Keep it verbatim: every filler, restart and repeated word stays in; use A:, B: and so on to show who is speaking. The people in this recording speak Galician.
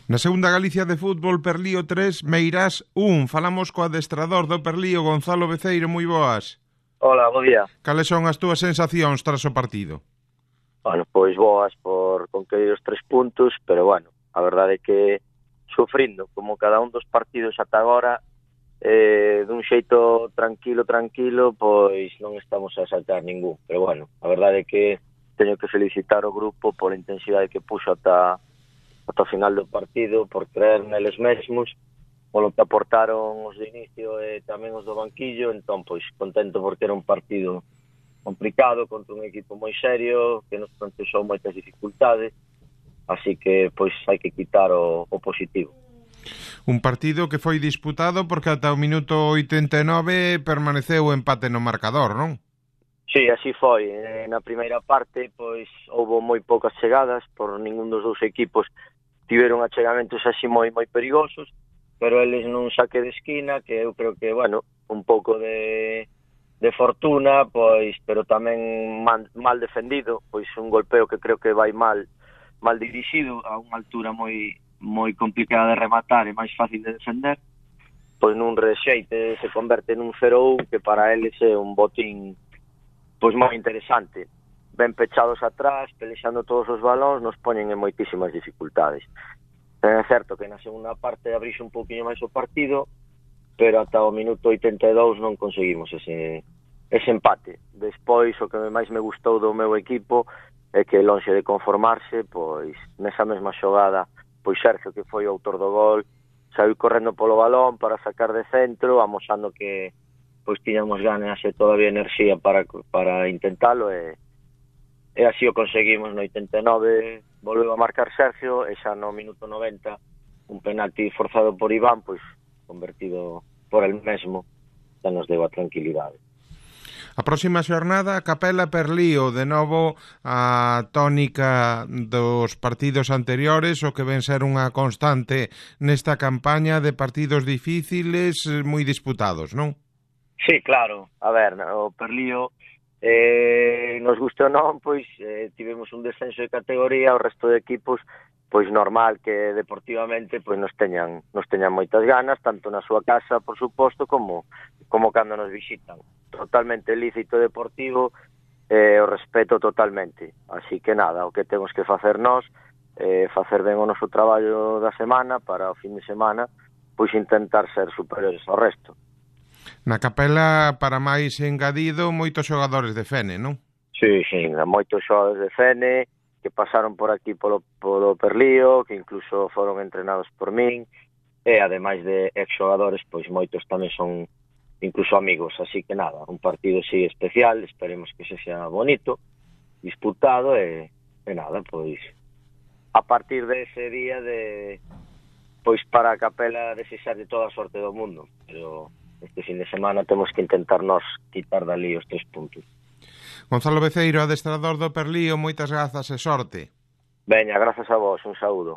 A: Na segunda Galicia de fútbol, Perlío tres, Meirás un. Falamos co adestrador do Perlío, Gonzalo Beceiro, moi boas.
B: Hola, bo día.
A: Cales son as túas sensacións tras o partido?
B: Bueno, pois boas por conquerir os tres puntos, pero bueno, a verdade é que sufrindo, como cada un dos partidos ata agora, eh, dun xeito tranquilo, tranquilo, pois non estamos a saltar ningún. Pero bueno, a verdade é que teño que felicitar o grupo pola intensidade que puxo ata ata o final do partido, por creer neles mesmos, polo que aportaron os de inicio e tamén os do banquillo. Entón, pois, contento porque era un partido complicado contra un equipo moi serio, que nos planteou moitas dificultades, así que, pois, hai que quitar o, o positivo.
A: Un partido que foi disputado porque ata o minuto oitenta e nove permaneceu o empate no marcador, non?
B: Sí, así foi. Na primeira parte, pois, houbo moi poucas chegadas, por ningún dos dous equipos tiveron achegamentos así moi moi perigosos, pero eles nun saque de esquina, que eu creo que, bueno, un pouco de, de fortuna, pois, pero tamén mal, mal defendido, pois un golpeo que creo que vai mal mal dirixido a unha altura moi moi complicada de rematar e máis fácil de defender, pois nun rexeite se converte nun cero un, que para eles é un botín pois moi interesante. Ben pechados atrás, pelexando todos os balóns, nos poñen en moitísimas dificultades. É certo que na segunda parte abrixe un pouquinho máis o partido, pero ata o minuto oitenta e dous non conseguimos ese, ese empate. Despois, o que máis me gustou do meu equipo é que, lonxe de conformarse, pois, nesa mesma xogada, pois Sergio, que foi o autor do gol, saiu correndo polo balón para sacar de centro, amosando que pois tiñamos ganas e todavía enerxía para, para intentalo, e E así o conseguimos. No oitenta e nove volveu a marcar Sergio, e xa no minuto noventa un penalti forzado por Iván, pois convertido por el mesmo, xa nos deu a tranquilidade.
A: A próxima xornada, Capela Perlío, de novo a tónica dos partidos anteriores, o que ven ser unha constante nesta campaña de partidos difíciles, moi disputados, non?
B: Sí, claro. A ver, o Perlío, Eh, nos guste ou non, pois eh, tivemos un descenso de categoría, o resto de equipos, pois normal que deportivamente pois nos teñan nos teñan moitas ganas, tanto na súa casa, por suposto, como como cando nos visitan. Totalmente lícito deportivo, eh, o respeto totalmente. Así que nada, o que temos que facer nós, eh, facer ben o noso traballo da semana para o fin de semana, pois intentar ser superiores ao resto.
A: Na Capela, para máis engadido, moitos xogadores de Fene, non?
B: Sí, sí, moitos xogadores de Fene que pasaron por aquí polo, polo Perlío, que incluso foron entrenados por min, e ademais de ex-xogadores, pois moitos tamén son incluso amigos, así que nada, un partido así especial, esperemos que se xa bonito, disputado, e, e nada, pois a partir dese día de pois para a Capela desexar de toda a sorte do mundo, pero este fin de semana temos que intentar nos quitar dali os tres puntos.
A: Gonzalo Beceiro, adestrador do Perlío, moitas grazas e sorte.
B: Veña, grazas a vos, un saúdo.